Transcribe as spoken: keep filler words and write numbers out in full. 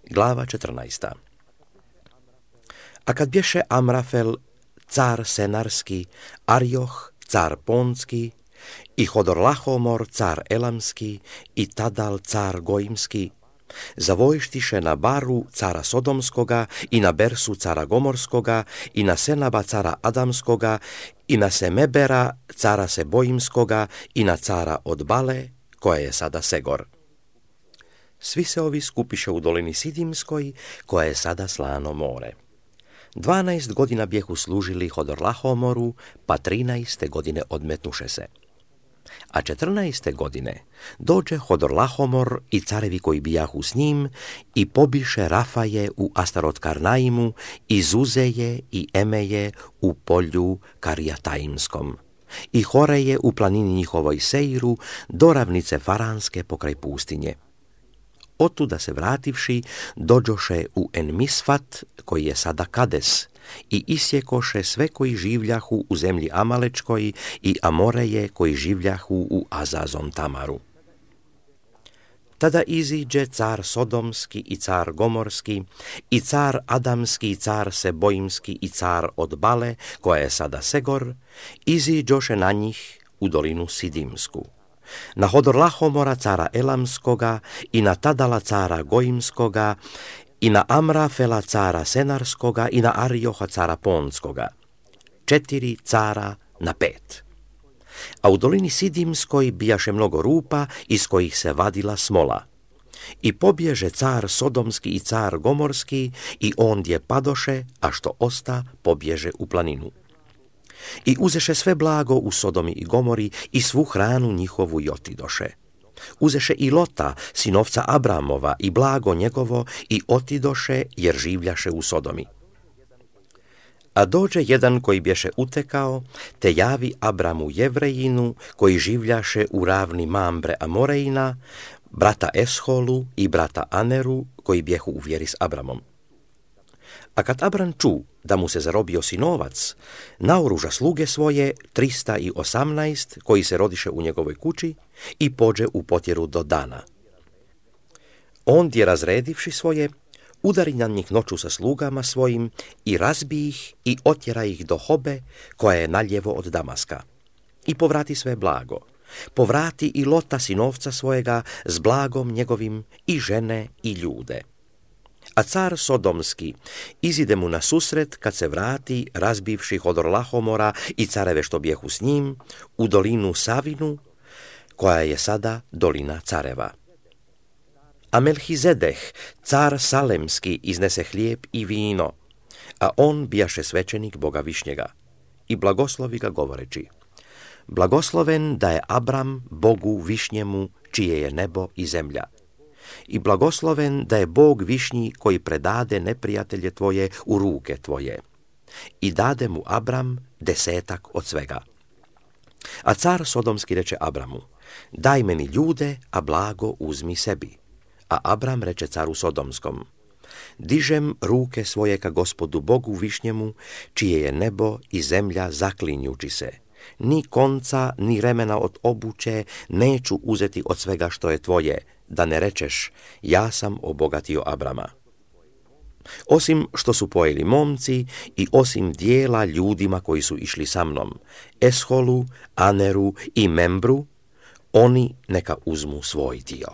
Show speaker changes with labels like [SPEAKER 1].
[SPEAKER 1] Glava četrnaesta. A kad bješe Amrafel, car Senarski, Arjoh, car Ponski, i Hodorlahomor, car Elamski, i Tadal, car Gojimski, zavojštiše na Baru, cara Sodomskoga, i na Bersu, cara Gomorskoga, i na Senaba, cara Adamskoga, i na Semebera, cara Sebojimskoga, i na cara od Bale, koja je sada Segor. Svi se ovi skupiše u dolini Sidimskoj, koja je sada slano more. Dvanaest godina bjehu služili Hodorlahomoru, pa trinaeste godine odmetnuše se. A četrnaeste godine dođe Hodorlahomor i carevi koji bijahu s njim i pobiše Rafaje u Astarot-Karnaimu i Zuzeje i Emeje u polju Karijataimskom i Horeje u planini njihovoj Seiru do ravnice Faranske pokraj pustinje. Otuda se vrativši, dođoše u Enmisfat, koji je sada Kades, i isjekoše sve koji življahu u zemlji Amalečkoj i Amoreje koji življahu u Azazon Tamaru. Tada iziđe car Sodomski i car Gomorski i car Adamski i car Sebojimski i car od Bale, koja je sada Segor, iziđoše na njih u dolinu Sidimsku. Na Hodorlahomora cara Elamskoga i na Tadala cara Gojimskoga i na Amrafela cara Senarskoga i na Arjoha cara Ponskoga. Četiri cara na pet. A u dolini Sidimskoj bijaše mnogo rupa iz kojih se vadila smola. I pobježe car Sodomski i car Gomorski i ondje padoše, a što osta pobježe u planinu. I uzeše sve blago u Sodomi i Gomori i svu hranu njihovu i otidoše. Uzeše i Lota, sinovca Abramova, i blago njegovo i otidoše jer življaše u Sodomi. A dođe jedan koji bješe utekao, te javi Abramu Jevrejinu, koji življaše u ravni Mambre Amorejina, brata Esholu i brata Aneru, koji bjehu u vjeri s Abramom. A kad Abram ču da mu se zarobio sinovac, naoruža sluge svoje, trista i osamnaest, koji se rodiše u njegovoj kući, i pođe u potjeru do Dana. Ondje razredivši svoje, udari na njih noću sa slugama svojim i razbi ih i otjera ih do Hobe, koja je naljevo od Damaska. I povrati sve blago. Povrati i Lota sinovca svojega s blagom njegovim i žene i ljude. A car Sodomski izide mu na susret kad se vrati, razbivši Hodorlahomora i careve što bijehu s njim, u dolinu Savinu, koja je sada dolina careva. A Melhizedeh, car Salemski, iznese hlijeb i vino, a on bijaše svećenik Boga Višnjega, i blagoslovi ga govoreći: blagosloven da je Abram Bogu Višnjemu, čije je nebo i zemlja. I blagosloven da je Bog Višnji koji predade neprijatelje tvoje u ruke tvoje. I dade mu Abram desetak od svega. A car Sodomski reče Abramu: daj meni ljude, a blago uzmi sebi. A Abram reče caru Sodomskom: dižem ruke svoje ka Gospodu Bogu Višnjemu, čije je nebo i zemlja zaklinjući se. Ni konca, ni remena od obuće neću uzeti od svega što je tvoje, da ne rečeš: ja sam obogatio Abrama. Osim što su pojeli momci i osim dijela ljudima koji su išli sa mnom, Esholu, Aneru i Membru, oni neka uzmu svoj dio.